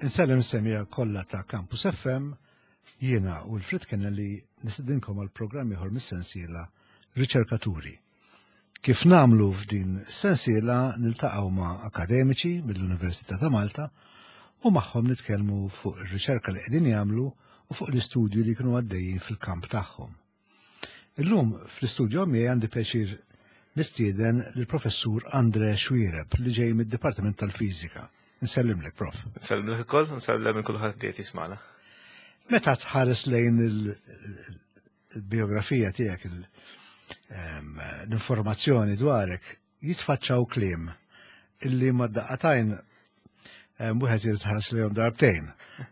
Insellem semija kollha ta' Campus FM, jiena u l-Frit Kennelly nistedinkom għal programm ieħor mis-sensiela Riċerkaturi. Kif namlu f'din sensiela niltaqgħu ma' akademiċi mill-Università ta' Malta u magħhom nitkellmu fuq ir-riċerka li qegħdin jagħmlu u fuq l-istudju li jkunu għaddejjin fil-kamp tagħhom. Illum fl-istudju miegħi għandi pjaċir nistieden lill-Professur Andre Xuereb li ġej mid-Dipartiment tal-Fiżika. Nsellimlek, Prof. Nsellimlek ukoll, nsellem minn kulħadd li qed jismagħna. Meta tħares lejn il-biografija tiegħek l-informazzjoni dwarek, jitfaċċaw kliem illi ma daqqatajn wieħed irid ħares lejhom darbtejn.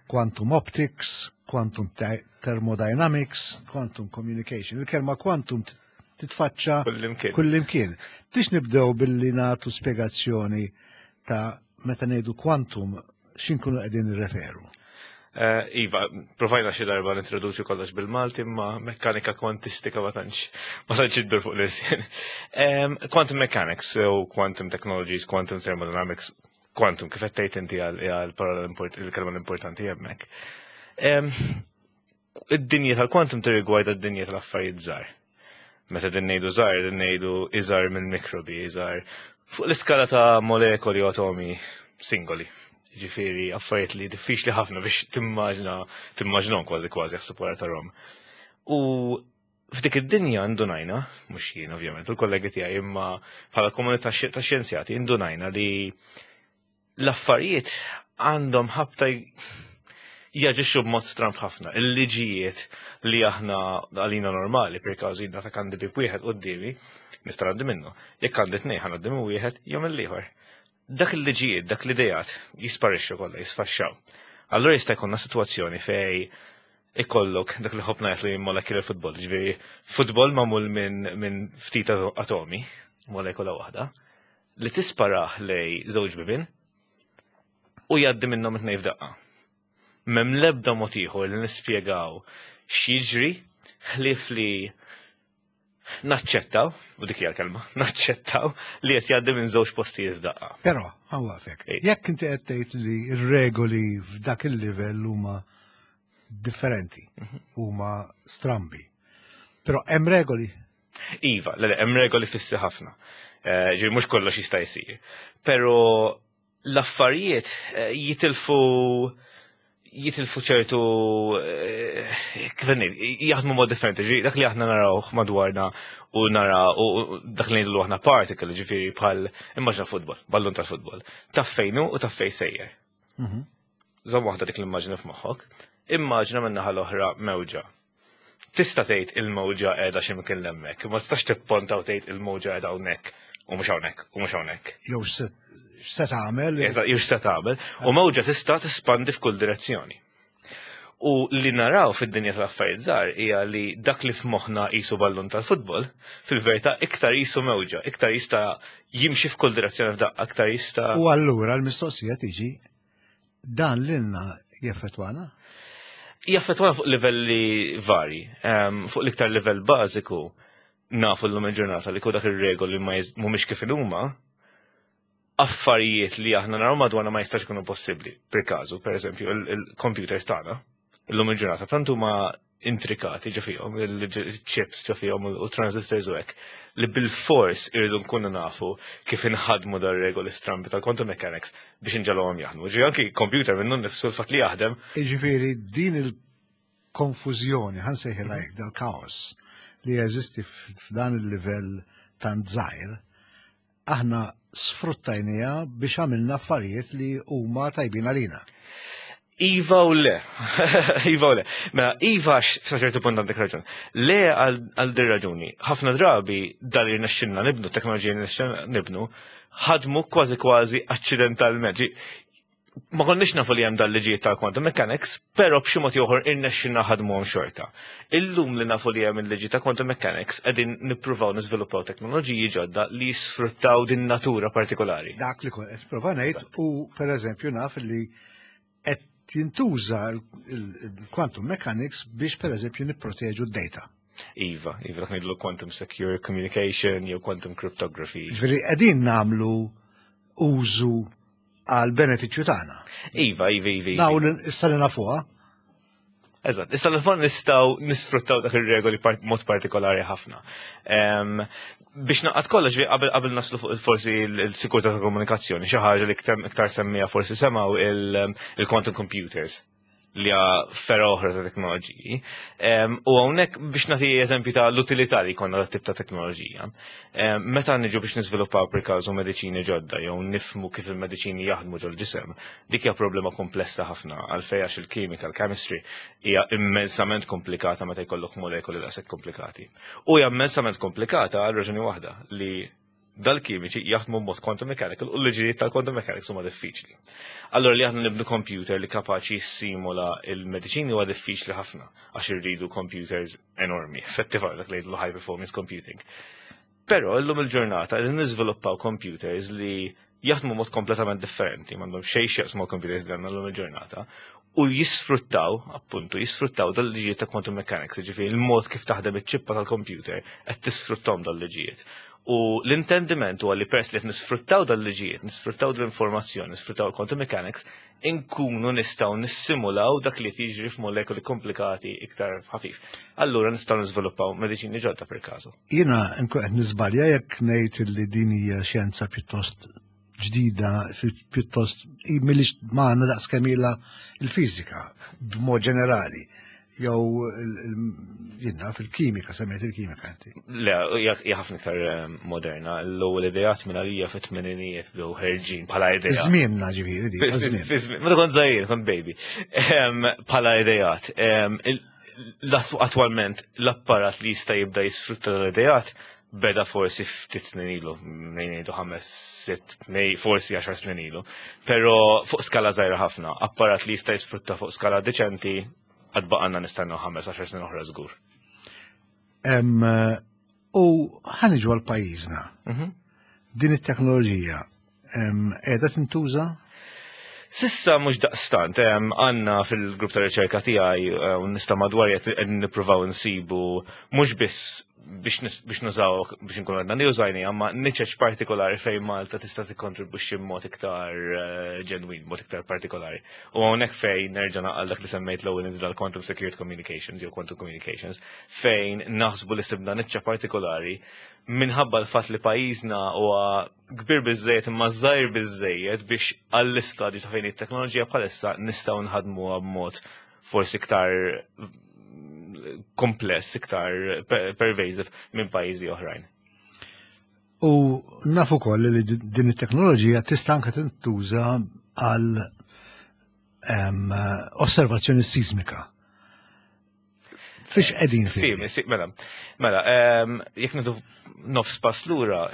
Quantum optics, quantum thermodynamics, quantum communication. Il-kelma quantum titfaċċa kullimkien. Tix nibdew billi nagħtu spjegazzjoni ta' meta ngħidu quantum x'inkunu qegħdin nirreferu. Eh, iva, provajna xi darba nintroduċi kollox bil-Malti, imma mekkanika kwantistika ma tantx ma tantx iddur fuq l-isien. Quantum mechanics u quantum technologies, quantum thermodynamics, quantum kif qed tgħid inti għal parola il-kelma l-importanti hemmhekk. Id-dinja tal-quantum tirrigwarda d-dinja tal-affarijiet żgħar. Meta din ngħidu żgħar, din ngħidu iżgħar mill-mikrobi, iżgħar fuq l-iskala ta' molekoli u atomi singoli. Ġifieri affarijiet li diffiċli ħafna biex timmaġna timmaġnhom kważi kważi jaħseb wara tarhom. U f'dik id-dinja ndunajna, mhux jien ovvjament, il-kollegi tiegħi imma bħala komunità ta' xjenzjati ndunajna li l-affarijiet għandhom ħabta jaġixxu b'mod stramb ħafna. Il-liġijiet li aħna għalina normali, per każu jien ta' għandi bib wieħed quddiemi, nista' ngħaddi minnu. Jekk għandi tnejn ħa ngħaddi minn wieħed jew mill-ieħor. Dak il-liġijiet, dak l-idejat jisparixxu kollha, jisfaxxaw. Allura jista' jkollna sitwazzjoni fej ikollok dak li ħobna jgħid li molecular football, ġifieri futbol magħmul minn min ftit atomi, molekula waħda, li tisparah lej żewġ bibien u jgħaddi minnhom it-tnejn f'daqqa. M'hemm l-ebda mod ieħor li nispjegaw x'jiġri ħlief li naċċettaw, u dik hija l-kelma, naċċettaw li qed jgħaddi minn żewġ postijiet f'daqqa. Però, ħawafek, jekk inti qed tgħid li r-regoli f'dak il-livell huma differenti, mhm. huma strambi. Però hemm regoli Iva, le, hemm regoli fissi ħafna. Eh, ġifieri mhux kollox jista' jsir. Però l-affarijiet eh, jitilfu jitilfu ċertu eh, kif jaħdmu mod differenti, ġifieri dak li aħna naraw madwarna u nara u dak li ngħidu aħna particle, ġifieri bħal immaġna futbol, ballun tal-futbol. Taf fejnu u taf fejn sejjer. Mhm. Żomm waħda dik l-immaġna f'moħħok. Immaġna min-naħa l-oħra mewġa. Tista' tgħid il-mewġa qiegħda xi mkien hemmhekk, ma tistax tipponta u tgħid il-mewġa qiegħda hawnhekk u mhux hawnhekk u mhux hawnhekk. Jew x'se tagħmel. Eżatt, jew x'se tagħmel. U mewġa tista' tispandi f'kull direzzjoni. U li naraw fid-dinja tal-affarijiet żgħar hija li dak li f'moħħna qisu ballun tal-futbol, fil-verità iktar qisu mewġa, iktar jista' jimxi f'kull direzzjoni f'daqqa, iktar jista' U allura l-mistoqsija tiġi Dan lilna jaffettwana? Jaffettwana fuq livelli vari. Fuq l-iktar livell bażiku nafu l-lum il-ġurnata li dak ir-regoli ma mhumiex kif huma affarijiet li aħna naraw madwarna ma jistax ikunu possibbli. Per każu, per eżempju, il-computers tagħna illum il-ġurnata tant huma intrikati ġo fihom, il-chips ġo fihom u transistors u hekk, li bil-fors irridu nkunu nafu kif inħadmu dar regoli strambi tal-quantum mechanics biex inġalhom jaħdmu. Ġifieri anki computer minnu nnifsu l-fatt li jaħdem. Ġifieri din il-konfużjoni, ħa nsejħilha hekk, dal-kaos li jeżisti f'dan il-livell tant żgħir, aħna sfruttajniha biex għamilna affarijiet li huma tajbin għalina. Iva u le. Iva u le. Mela, Iva sa ċertu punt għandek raġun. Le għal dir raġuni. Ħafna drabi dal li nexxinna nibnu, teknoloġija li nexxinna nibnu, ħadmu kważi kważi accidentalment. Ma konniex nafu li hemm dal-liġijiet tal-quantum mechanics, però b'xi mod ieħor irnexxinna ħadmuhom xorta. Illum li nafu li hemm il-liġi ta' quantum mechanics qegħdin nippruvaw niżviluppaw teknoloġiji ġodda li jisfruttaw din natura partikolari. Dak li kont qed prova ngħid u pereżempju naf li qed jintuża il-quantum mechanics biex pereżempju nipproteġu d-data. Iva, iva dak ngħidlu quantum secure communication jew quantum cryptography. Ġifieri qegħdin nagħmlu użu għal benefiċċju tagħna. Iva, iva, iva. Naw issa li nafuha. Eżatt, issa l nistgħu nisfruttaw dak ir-regoli mod partikolari ħafna. Biex naqgħad kollox qabel qabel naslu fuq forsi l-sikurtà ta' komunikazzjoni, xi ħaġa li iktar semmija forsi semgħu il-quantum computers li hija fergħa oħra ta' teknoloġiji. U hawnhekk biex nagħti eżempju ta' l-utilità li jkollna dat tip ta' teknoloġija. Meta niġu biex niżviluppaw per każu mediċini ġodda jew nifmu kif il-mediċini jaħdmu ġol-ġisem, dik hija problema komplessa ħafna għalfejn għax il-kimika, il-chemistry hija immensament komplikata meta jkollok molekoli daqshekk komplikati. U hija immensament komplikata għal raġuni waħda li dal-kimiċi jaħdmu b'mod quantum mechanical u l-liġijiet tal-quantum mechanics huma diffiċli. Allora li aħna nibnu computer li kapaċi jissimula il-mediċini huwa diffiċli ħafna għax irridu computers enormi, effettiva dak li jgħidu high performance computing. Però illum il-ġurnata qegħdin niżviluppaw computers li jaħdmu mod kompletament differenti, m'għandhom xejn x'jaqsmu computers li għandna llum il-ġurnata, u jisfruttaw, appuntu, jisfruttaw dal-liġijiet ta' quantum mechanics, ġifieri il-mod kif taħdem iċ-ċippa tal-computer qed tisfruttom dal-liġijiet. U l-intendiment huwa li pers li qed nisfruttaw dal-liġijiet, nisfruttaw dal-informazzjoni, nisfruttaw il-quantum mechanics, inkunu nistgħu nissimulaw dak li jiġri f'molekoli komplikati iktar ħafif. Allura nistgħu niżviluppaw mediċini ġodda per każu. Jiena nkun qed niżbalja jekk ngħid li din hija xjenza pjuttost ġdida, pjuttost milli magħna daqs kemm ilha il-fiżika b'mod ġenerali jew jiena fil-kimika, semmejt il-kimika inti. Le, hija ħafna iktar moderna. L-ewwel ideat minn għalija fit-tmeninijiet bdew ħerġin bħala idea. Żmienna ġifieri di. Meta kont żgħir, kont baby. Bħala ideat. Attwalment l-apparat li jista' jibda jisfrutta l-ideat beda forsi ftit snin ilu, ngħidu 5, 6, forsi 10 snin ilu. Però fuq skala żgħira ħafna, apparat li jista' jisfrutta fuq skala deċenti għad baqanna nistennew 5-10 snin oħra żgur. U ħa niġu għal pajjiżna. Din it-teknoloġija qiegħda tintuża? Sissa mhux daqstant, għandna fil-grupp ta' riċerka tiegħi u nista' madwar qed nippruvaw insibu mhux biss biex nużaw biex nkunu għedna li użajni, imma niċeċ partikolari fejn Malta tista' tikkontribwixxi b'mod iktar ġenwin, mod iktar partikolari. U hawnhekk fejn nerġa' naqal dak li semmejt l-ewwel inti dal-Quantum Secured Communications jew Quantum Communications, fejn naħsbu li sibna niċċa partikolari minħabba l-fatt li pajjiżna huwa kbir biżejjed imma żgħir biżejjed biex għall-istadju ta' fejn it-teknoloġija bħalissa nistgħu nħadmuha b'mod forsi iktar kompless, iktar pervasive minn pajjiżi oħrajn. U nafu koll li din it-teknoloġija tista' anke tintuża għal osservazzjoni sismika. Fiex qegħdin fi? Si, mela, mela, jekk nidu nofs pass lura,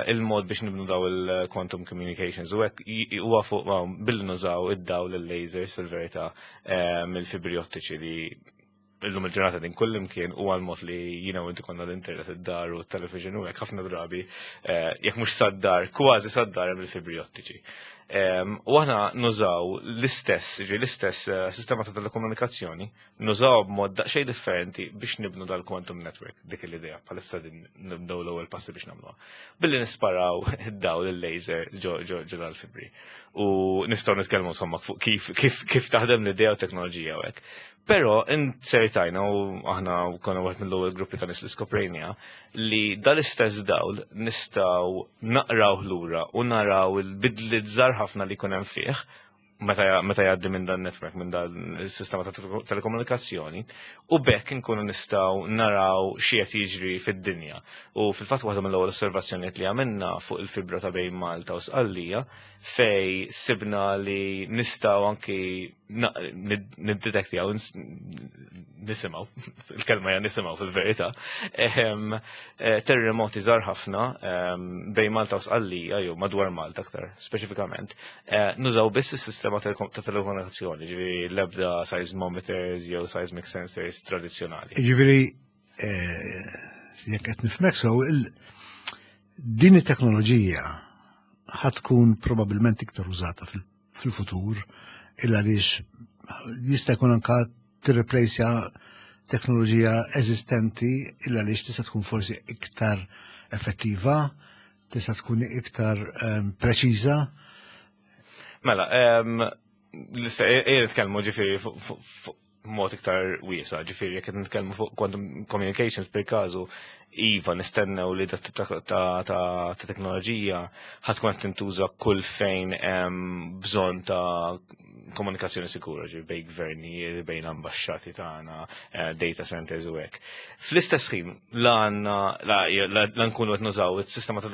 il-mod biex nibnu daw il-quantum communications u hekk huwa fuq billi nużaw id-dawl il-lasers fil-verità mill-fibri ottiċi li illum il-ġurnata din kull imkien u għal-mod li jina u inti konna l-internet id-dar u t-television u hekk ħafna drabi jekk mhux sad-dar, kważi sad-dar hemm il-fibri ottiċi. U aħna nużaw l-istess, ġi l-istess sistema ta' telekomunikazzjoni, nużaw b'mod daqsxejn differenti biex nibnu dal-quantum network, dik l-idea, bħalissa din nibdew l-ewwel passi biex nagħmluha. Billi nisparaw id-dawl il-laser ġo ġo ġo dal-fibri. U nistgħu nitkellmu insomma fuq kif kif kif taħdem l-idea u teknoloġija u hekk. Però insertajna u aħna konna wieħed mill-ewwel gruppi ta' nies li skoprejnija li dal-istess dawl nistgħu naqraw lura u naraw il-bidliet żgħar ħafna li jkun hemm fih meta jgħaddi minn dan network, minn dan is-sistema ta' telekomunikazzjoni, u bekk inkunu nistgħu naraw xi qed jiġri fid-dinja. U fil-fatt waħda mill-ewwel osservazzjonijiet li għamilna fuq il-fibra ta' bejn Malta u Sqallija fej sibna li nistgħu anki niddetektjaw, nisimgħu, il-kelma hija nisimgħu fil-verità, terremoti żgħar ħafna bejn Malta u Sqallija jew madwar Malta aktar speċifikament, nużaw biss is-sistema ta' telekomunikazzjoni, ġifieri l-ebda seismometers jew seismic sensors tradizzjonali. Ġifieri jekk qed nifhmek sew, din it-teknoloġija ħa tkun probabbilment iktar użata fil-futur illa għaliex jista' jkun anka tirreplejsja teknoloġija eżistenti illa għaliex tista' tkun forsi iktar effettiva, tista' tkun iktar preċiża. Mela, ejja nitkellmu ġifieri fuq mod iktar wiesa, ġifieri jekk qed nitkellmu fuq quantum communications per każu, iva nistennew li dat tip ta' teknoloġija ħa tkun qed tintuża kull fejn hemm bżonn ta' komunikazzjoni sikura, ġifieri bejn gvernijiet, bejn ambaxxati tagħna, data centers u hekk. Fl-istess ħin, la għandna, la, la, la nkunu qed nużaw is-sistema ta'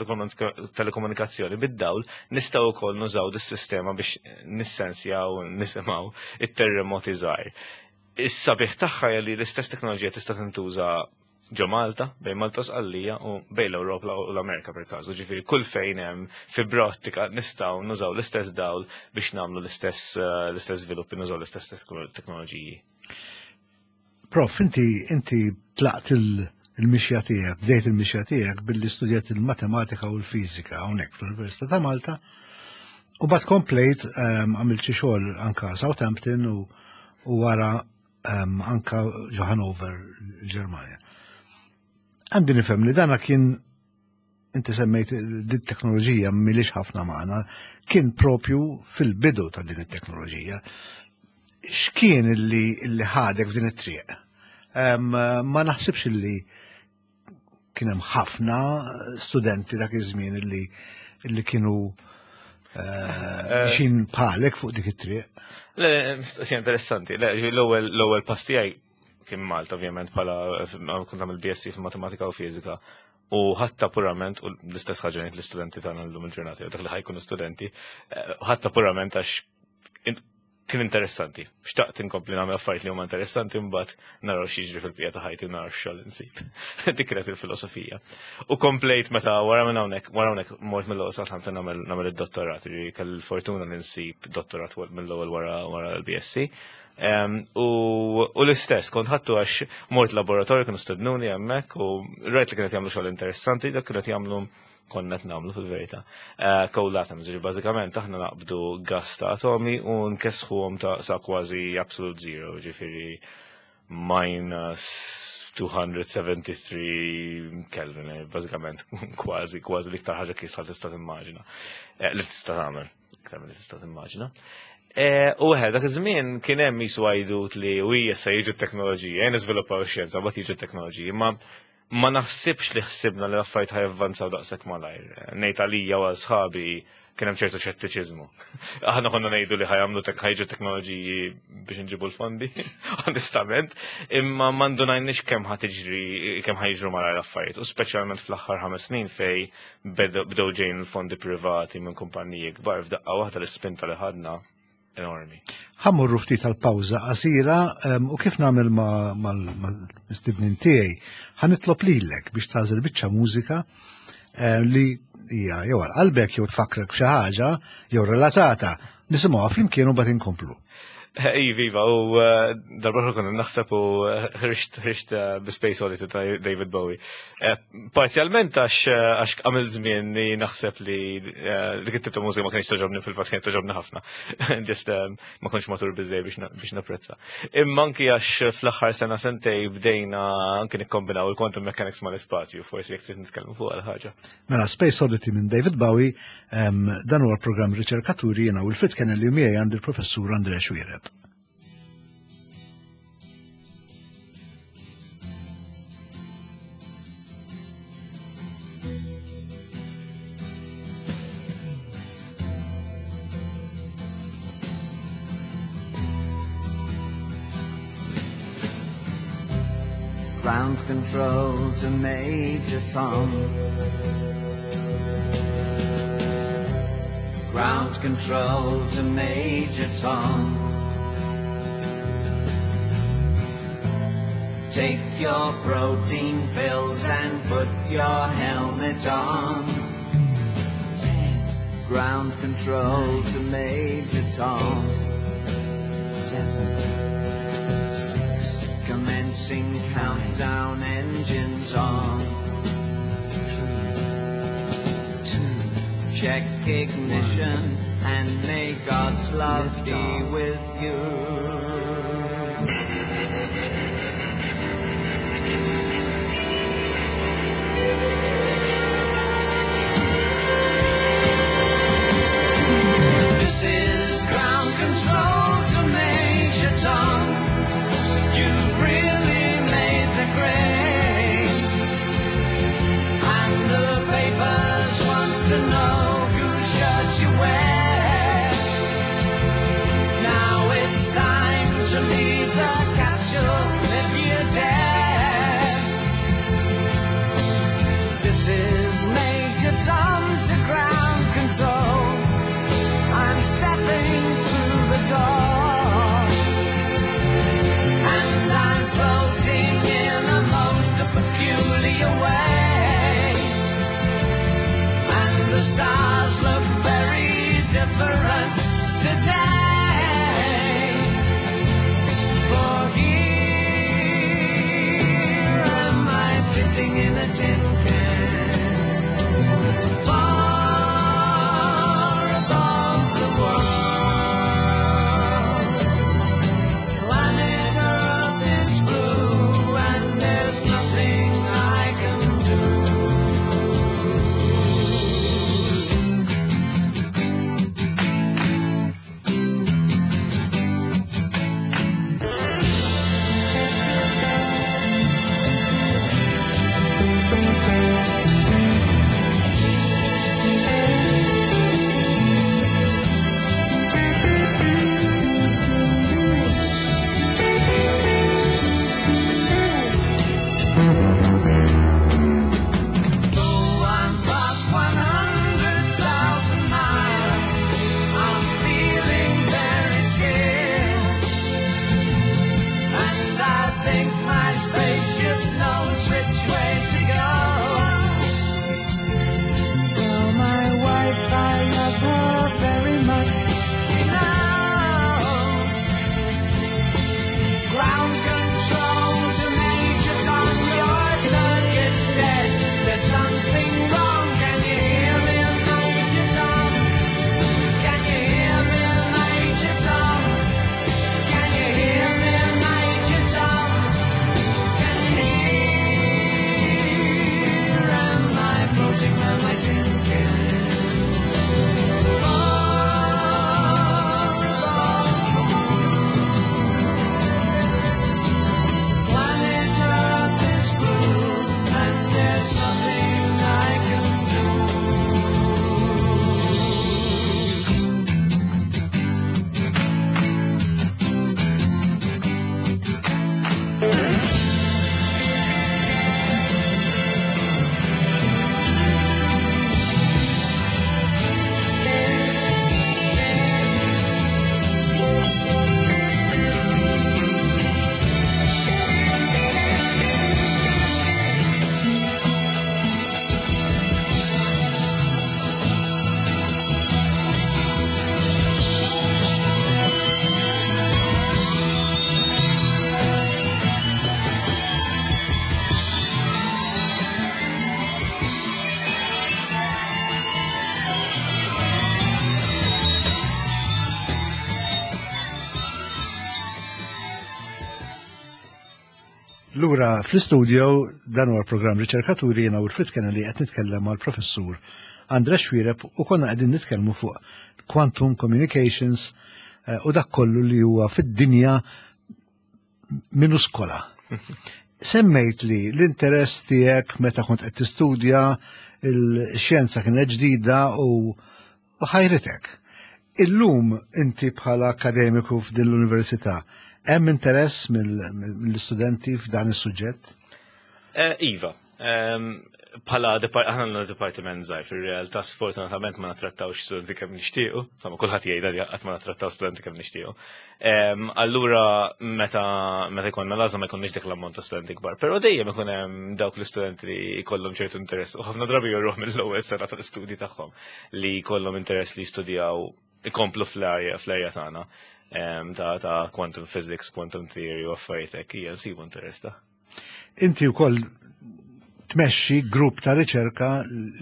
telekomunikazzjoni bid-dawl, nistgħu wkoll nużaw dis-sistema biex nissensjaw, nisimgħu it-terremoti żgħar. Is-sabiħ tagħha hija li l-istess teknoloġija tista' tintuża ġo Malta, bejn Malta u Sqallija u bejn l-Ewropa u l-Amerika per każu. Ġifieri kull fejn hemm fibra ottika nistgħu nużaw l-istess dawl biex nagħmlu l-istess żviluppi, nużaw l-istess teknoloġiji. Prof, inti tlaqt il-mixja tiegħek, bdejt il-mixja tiegħek billi studjat il-matematika u l-fiżika hawnhekk fl-Università ta' Malta. U bad komplejt għamilt xi xogħol anka Southampton u wara anka ġo Hanover, il-Ġermanja. Għandi nifhem li dana kien, inti semmejt din teknoloġija milix ħafna magħna, kien propju fil-bidu ta' din it-teknoloġija. X'kien illi ħadek f'din it-triq? Ma naħsibx illi kien hemm ħafna studenti dak iż-żmien illi kienu xin bħalek fuq dik it-triq. Le, mistoqsija interessanti. Le, l-ewwel pass tiegħi kien Malta, ovvjament, bħala kont nagħmel BSc fil-matematika u fiżika. U ħatta purament, u l-istess ħaġa ngħid l-istudenti tagħna llum il-ġurnata, jew dak li ħa jkunu studenti, ħatta purament għax kien interessanti. Xtaqt inkompli nagħmel affarijiet li huma interessanti, mbagħad naraw x'jiġri fil-bqija ta' ħajti u naraw x'xogħol insib. Dik kienet il-filosofija. U komplejt meta wara minn hawnhekk, wara hawnhekk mort mill-ewwel Southampton nagħmel id-dottorat, ġifieri kelli l-fortuna li nsib dottorat mill-ewwel wara l-BSc. U l-istess, kont ħadtu għax mort laboratorju, kienu stednuni hemmhekk u rajt li kienet jagħmlu xogħol interessanti, dak kienet jagħmlu konna qed nagħmlu fil-verità. Cold atoms, ġifieri bażikament aħna naqbdu gas ta' atomi u nkessħuhom ta' sa kważi absolute zero, ġifieri minus 273 Kelvin, bażikament kważi l-iktar ħaġa kiesħa tista' timmaġina. Li tista' tagħmel, iktar milli tista' timmaġina. U dak iż-żmien kien hemm jisu għajdut li u hija se jiġu t-teknoloġija, jien niżviluppaw ix-xjenza, mbagħad jiġu t-teknoloġiji, ma ma naħsibx li ħsibna li l-affarijiet ħa javvanzaw daqshekk malajr. Ngħid għalija u għal sħabi kien hemm ċertu xettiċiżmu. Aħna konna ngħidu li ħa jagħmlu ħa jiġu teknoloġiji biex nġibu l-fondi, onestament, imma ma ndunajniex kemm ħa tiġri, kemm ħa jiġru malajr l-affarijiet, u speċjalment fl-aħħar 5 snin fej bdew ġejjin il-fondi privati minn kumpaniji kbar f'daqqa waħda l-ispinta li ħadna enormi. Ħa mmorru ftit tal-pawża qasira u kif nagħmel mal-mistednin tiegħi, ħa nitlob lilek biex tagħżel biċċa mużika li hija jew għal qalbek jew tfakkrek f'xi ħaġa jew relatata. Nisimgħuha flimkien u mbagħad inkomplu. Iva, iva, u darba oħra konna naħseb u ħriġt bi Space Oddity ta' David Bowie. Parzjalment għax għamil żmien li naħseb li dik it-tip ta' mużika ma kienx toġobni, fil-fatt kienet toġobni ħafna. Just ma kontx matur biżej biex napprezza. Imma anki għax fl-aħħar sena sentej bdejna anki nikkombinaw il-quantum mechanics mal-ispazju, forsi jekk trid nitkellmu fuq għal ħaġa. Mela Space Oddity minn David Bowie, dan huwa l-programm Riċerkaturi, jiena Wilfred Kennelly u miegħi għandi l-Professur André Xuereb. Ground control to Major Tom. Ground control to Major Tom. Take your protein pills and put your helmet on. 10. Ground control to Major Tom. 8, 7, 6. Commencing countdown, engines on. 3, 2, check ignition, 1, and may God's love Lift be off. with you. This is Tom to ground control. I'm stepping through the door. And I'm floating in a most peculiar way. And the stars look very different today. For here am I sitting in a tin can. Far above the world. Planet Earth is blue and there's nothing I can do. Though I'm past 100,000 miles, I'm feeling very scared. And I think my spaceship knows which way to go. Tell my wife I love her very much. She knows. Ground control to Major Tom, your circuit's dead. There's something wrong. Can you hear me, Major Tom? Can you hear me, Major Tom? Can you hear me, Major Tom? Can you hear? Am I floating on my tin can? Far above the Planet Earth is blue, and there's nothing I can do. Lura fl-istudio dan huwa l-programm Riċerkaturi jiena Wilfred Kennelly qed nitkellem mal-professur Andre Xuereb u konna qegħdin nitkellmu fuq quantum communications u dak kollu li huwa fid-dinja minuskola. Semmejt li l-interess tiegħek meta kont qed tistudja il-xjenza kienet ġdida u ħajritek. Illum inti bħala akademiku f'din l-università, hemm interess mill-istudenti f'dan is-suġġett? Iva, bħala aħna għandna dipartiment żgħir fir-realtà sfortunatament ma nattrattawx studenti kemm nixtiequ, insomma kulħadd jgħidha li qatt ma nattrattaw studenti kemm nixtiequ. Allura meta jkollna l-għażla ma jkollniex dik l-ammont ta' studenti kbar, però dejjem ikun hemm dawk l-istudenti li jkollhom ċertu interess u ħafna drabi jorruh mill-ewwel sena tal-istudji tagħhom li jkollhom interess li jistudjaw ikomplu fl-area tagħna ta' quantum physics, quantum theory u affarijiet hekk, hija nsibu interess ta'. Inti wkoll tmexxi grupp ta' riċerka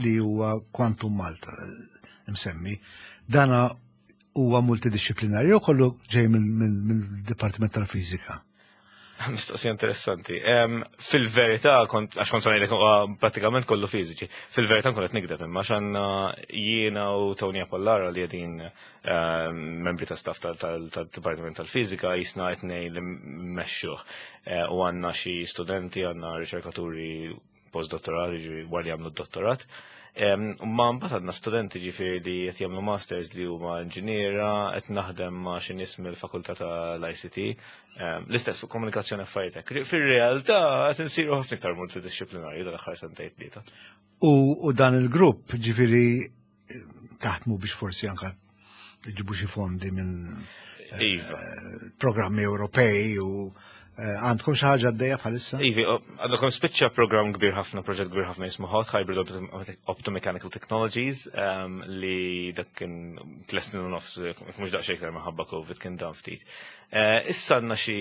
li huwa Quantum Malta msemmi. Dana huwa multidisciplinarju jew kollu ġej mill-Dipartiment tal-Fiżika? Mistoqsija interessanti. Fil-verità, għax kont ngħidlek huwa pratikament kollu fiżiċi. Fil-verità nkun qed nikdeb imma għax għandna jiena u Tony Apollaro li qegħdin membri ta' staff tal-Dipartiment tal-Fiżika jisna qed ngħid li mmexxuh. U għandna xi studenti, għandna riċerkaturi postdottorali, ġifieri wara li jagħmlu d-dottorat. Ma mbagħad għandna studenti ġifieri li qed jagħmlu masters li huma inġiniera, qed naħdem ma' xi nies mill-fakultà tal-ICT, l-istess fuq komunikazzjoni affarijiet hekk. Fir-realtà qed insiru ħafna iktar multidixxiplinarju dal-aħħar sentejn tlieta. U dan il-grupp ġifieri taħdmu biex forsi anka ġibu xi fondi minn eh, iva. programmi Ewropej u eh, għandkom xi ħaġa għaddejja bħalissa? Ivi, għandkom spiċċa programm kbir ħafna, proġett kbir ħafna jismu Hot Hybrid Optomechanical Technologies ehm, li dak kien tlestin u nofs, mhux daqsxejn iktar minħabba COVID kien dan ftit. Eh, issa għandna xi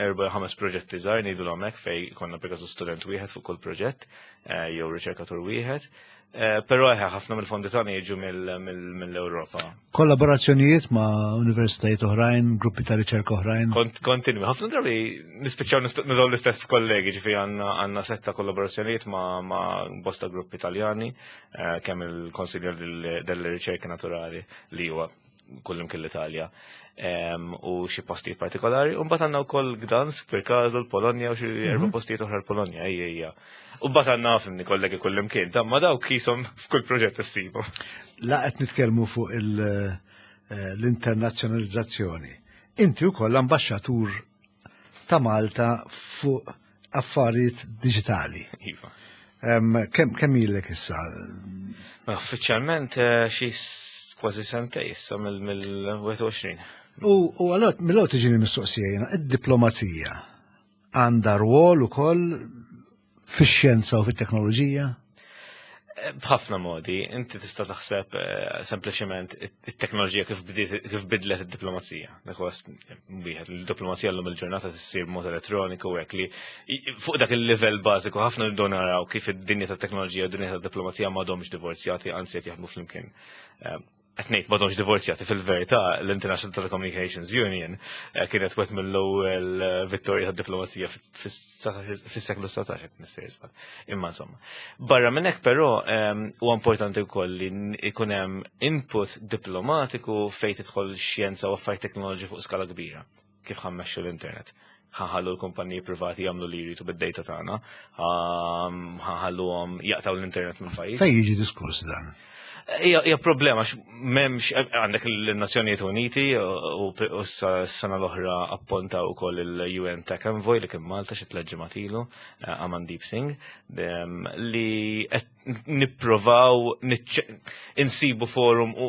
erba' ħames proġetti żgħar ngħidu hekk fej konna per student wieħed fuq kull proġett jew riċerkatur wieħed. Eh, però eħe, ħafna mill-fondi tagħna jiġu mill-Ewropa. Kollaborazzjonijiet ma' universitajiet oħrajn, gruppi ta' riċerka oħrajn? Kontinwi, ħafna drabi nispiċċaw nużaw l-istess kollegi, ġifi għandna setta kollaborazzjonijiet ma' bosta gruppi Italjani, eh, kemm il-Konsilju delle Ricerche Naturali li huwa kullimkien l-Italja u xi postijiet partikolari. U mbagħad għandna wkoll Gdansk per każu l-Polonja u xi mhm. erba' postijiet oħra l-Polonja, ejja ejja. U mbagħad għandna fimni kollegi kullimkien, ta' ma dawk qishom f'kull proġett issibu. La qed nitkellmu fuq eh, l-internazzjonalizzazzjoni. Inti wkoll ambaxxatur ta' Malta fuq affarijiet diġitali. Iva. Kemm ilek issa? Uffiċjalment eh, xi kważi sentej issa mill-21. U għalot, mill-għot tiġini mistoqsija jena, id-diplomazija għandha rwol ukoll fix-xjenza u fit-teknoloġija? B'ħafna modi, inti tista' taħseb eh, sempliċement it-teknoloġija kif bidlet id-diplomazija. Dak huwa wieħed il-diplomazija llum il-ġurnata tissir b'mod elettroniku hekk li fuq dak il-livell bażiku ħafna nibdew naraw kif id-dinja tat-teknoloġija u d-dinja tad-diplomazija m'għadhomx divorzjati, anzi qed jaħdmu flimkien. Eh, qed ngħid m'għadhomx divorzjati fil-verità l-International Telecommunications Union eh, kienet wet mill-ewwel eh, vittorja tad-diplomazija fis-seklu 19 qed nistejżbal. Imma insomma. Barra minn hekk però ehm, huwa importanti wkoll li ikun hemm input diplomatiku fejn tidħol xjenza u affarijiet teknoloġi fuq skala kbira kif ħammexxu l-internet ħanħallu l-kumpaniji privati jagħmlu li jridu bid-data tagħna, ħanħalluhom jaqtaw l-internet minn pajjiż. Fejn jiġi diskuss dan? Hija problema għax m'hemmx għandek l-Nazzjonijiet Uniti u s-sena l-oħra apponta wkoll il-UN Tech Envoy li kien Malta xi tliet ġimgħat ilu, eh, Amandeep Singh, li qed nipprovaw insibu forum u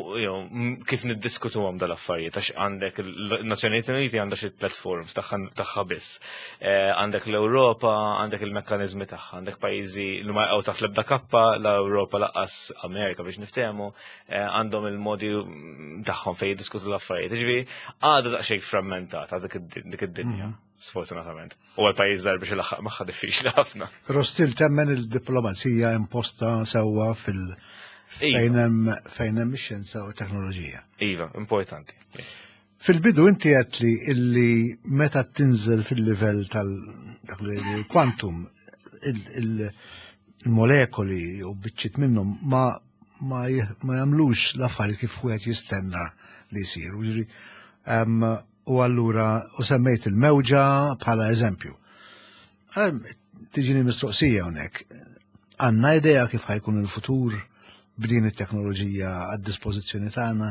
kif niddiskutuhom dal-affarijiet għax għandek il-Nazzjonijiet Uniti għandha xi tliet forums tagħha biss. Eh, għandek l-Ewropa, għandek il-mekkaniżmi tagħha, għandek pajjiżi li ma jaqgħu taħt l-ebda kappa, l-Ewropa laqqas Amerika biex niftehmu, eh, għandhom il-modi tagħhom fejn jiddiskutu l-affarijiet. Ġifieri għadha daqsxejn frammentata dik id-dinja. Mhm. Sfortunatament. U għal pajjiż żgħar biex ilaħħaq magħha diffiċli ħafna. Però still temmen il-diplomazija imposta sewwa fil- iva. fejn hemm fejn hemm ix-xjenza u t-teknoloġija. Iva, importanti. Fil-bidu inti għedt li illi meta tinżel fil-livell tal dak li l-quantum il-molekoli u biċċiet minnhom ma ma ma jagħmlux l-affarijiet kif wieħed jistenna li jsiru. Jiġifieri, u allura u semmejt il-mewġa bħala eżempju. Tiġini mistoqsija hawnhekk. Għandna idea kif ħajkun il-futur b'din it-teknoloġija għad-dispożizzjoni tagħna?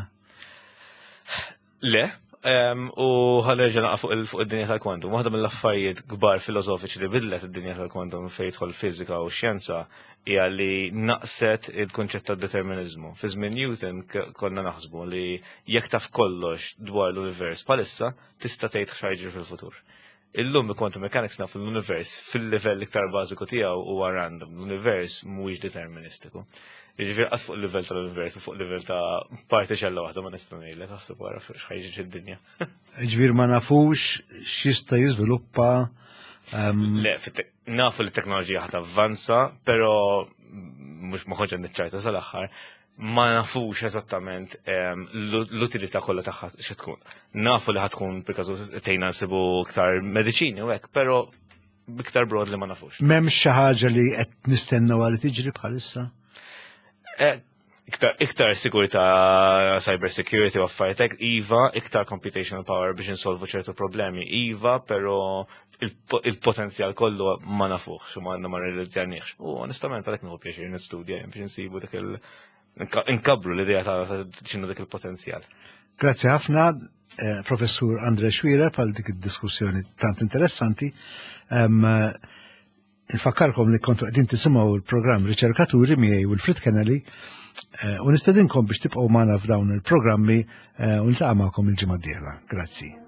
Le, u ħanerġa' naqa' fuq id-dinja tal-kwantum. Waħda mill-affarijiet kbar filosofiċi li bidlet id-dinja tal-kwantum fejn jidħol fiżika u xjenza hija li naqset il-kunċett ta' determinizmu. Fi żmien Newton konna naħsbu li jekk taf kollox dwar l-univers bħalissa tista' tgħid x'ħajġri fil-futur. Illum bi quantum mechanics nafu l-univers fil-livell iktar bażiku tiegħu huwa random, l-univers mhuwiex deterministiku. Jiġifieri qas fuq il-livell tal-univers u fuq livell ta' partiċella waħda ma nista' ngħidlek aħseb wara x'ħajġi fid-dinja. Jiġifieri ma nafux x'jista' jiżviluppa ehm, Le, nafu li t-teknoloġija ħat avvanza, però mhux ma kontx niċċajta sal-aħħar, ma nafux eżattament ehm, l-utilità kollha tagħha xi tkun. Nafu li ħatkun perkażu tgħinna nsibu iktar mediċini u hekk, però biktar broad li ma nafux. M'hemmx xi ħaġa li qed nistennew għal tiġri bħalissa? Eh, Iktar, iktar sigurtà cyber security u affarijiet hekk, iva, iktar computational power biex insolvu ċertu problemi, iva, però il-potenzjal kollu ma nafuħx u ma ma realizzjarniex. U onestament għalhekk nieħu pjaċir nistudja biex insibu dak il- nkabru l-idea ta' x'inhu dak il-potenzjal. Grazzi ħafna, eh, Professur Andre Xuereb, għal dik id-diskussjoni tant interessanti. Infakkarkom li kontu qegħdin tisimgħu l-programm Riċerkaturi miegħi Wilfred Kennelly eh, u nistedinkom biex tibqgħu magħna f'dawn il-programmi eh, u niltaqa' magħkom il-ġimgħa d-dieħla. Grazzi.